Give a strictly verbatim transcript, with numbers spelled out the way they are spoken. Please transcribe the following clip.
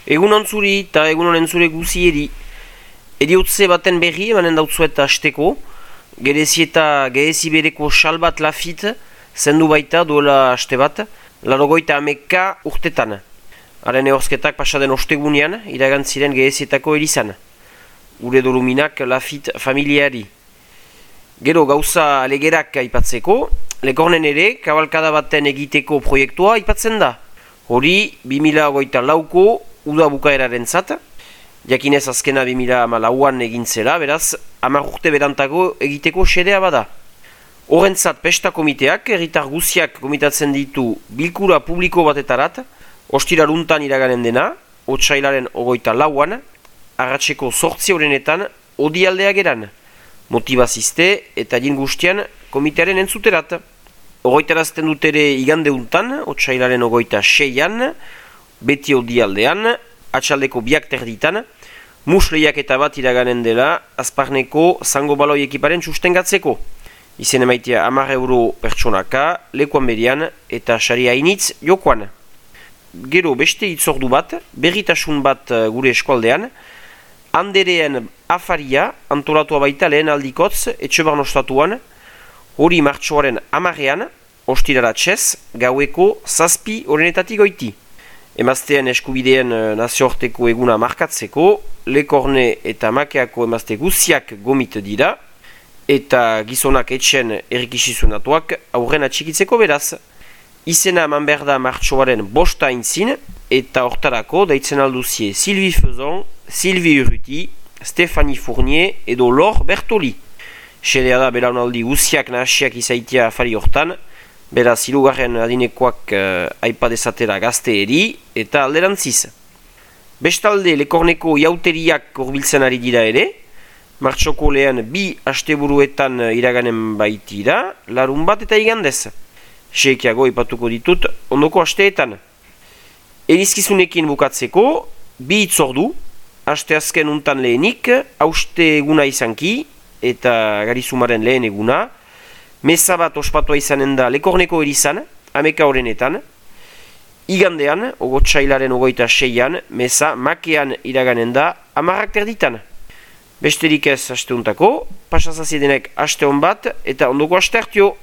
Egun ontzuri eta egun honen zure guzieri. Eriotze baten berri emanen dautzuet hasteko. Gerezi eta gerezi bereko sal bat lafit zendu baita duela haste bat. Larogoita ameka urtetan. Haren ehorzketak pasaden ostegunean iragantziren gerezietako erizan. Gure doluminak lafit familiari. Gero gauza alegerak aipatzeko, lekornen ere kabalkada baten egiteko proiektua aipatzen da. Hori bi mila hogeita lauko uda bukaeraren zat, jakinez azkena bi mila hamalauan egin zela, beraz hamar urte berantago egiteko xedea bada. Horrentzat pesta komiteak, herritar guziak komitatzen ditu bilkura publiko batetarat, ostiraruntan iraganen dena, otsailaren hogeita lauan, arratseko zortzi horrenetan, odialdea geran. Motivazizte eta jin guztian komitearen entzuterat. Ogoitarazten dut ere igandeuntan, otsailaren ogoita seian, beti odialdean, atxaldeko biak terditan, musleiak eta bat iraganen dela, azparneko zango baloi ekiparen sustengatzeko. Izen emaitea hamar euro pertsonaka, lekuan berian eta sari hainitz jokoan. Gero beste itzordu bat, berritasun bat gure eskualdean, Andereen afaria antolatua baita lehen aldikotz etxebarn ostatuan, hori martxoaren hamarrean, ostiraratxez, gaueko zazpi horrenetatik goiti. Emazteen eskubideen nazioarteko eguna markatzeko, lekorne eta makeako emazte guziak gomit dira, eta gizonak etxen errikisizunatuak aurren atxikitzeko beraz. Izena eman behar da martxoaren bosta intzin, eta hortarako daitzen alduzie Sylvie Fezon, Sylvie Urruti, Stéphanie Fournier edo Lor Bertoli. Xedea da belaunaldi guziak nahasiak izaitia afari hortan, beraz hirugarren adinekoak uh, aipa dezatera gazte eri eta alderantziz. Bestalde lekorneko jauteriak horbiltzen ari dira ere, martxoko lehen bi asteburuetan iraganen baitira, larun bat eta igandez. Seekiago ipatuko ditut ondoko asteetan. Erizkizunekin bukatzeko, bi itzordu, aste azken untan lehenik, hauste eguna izanki, eta garizumaren lehen eguna, meza bat ospatua izanen da lekorneko erizan, ameka horrenetan, igandean, ogotsailaren ogoita seian, meza makean iraganen da amarrak terditan. Besterik ez asteuntako, pasazaziedenek aste hon bat, eta ondoko aste hartio.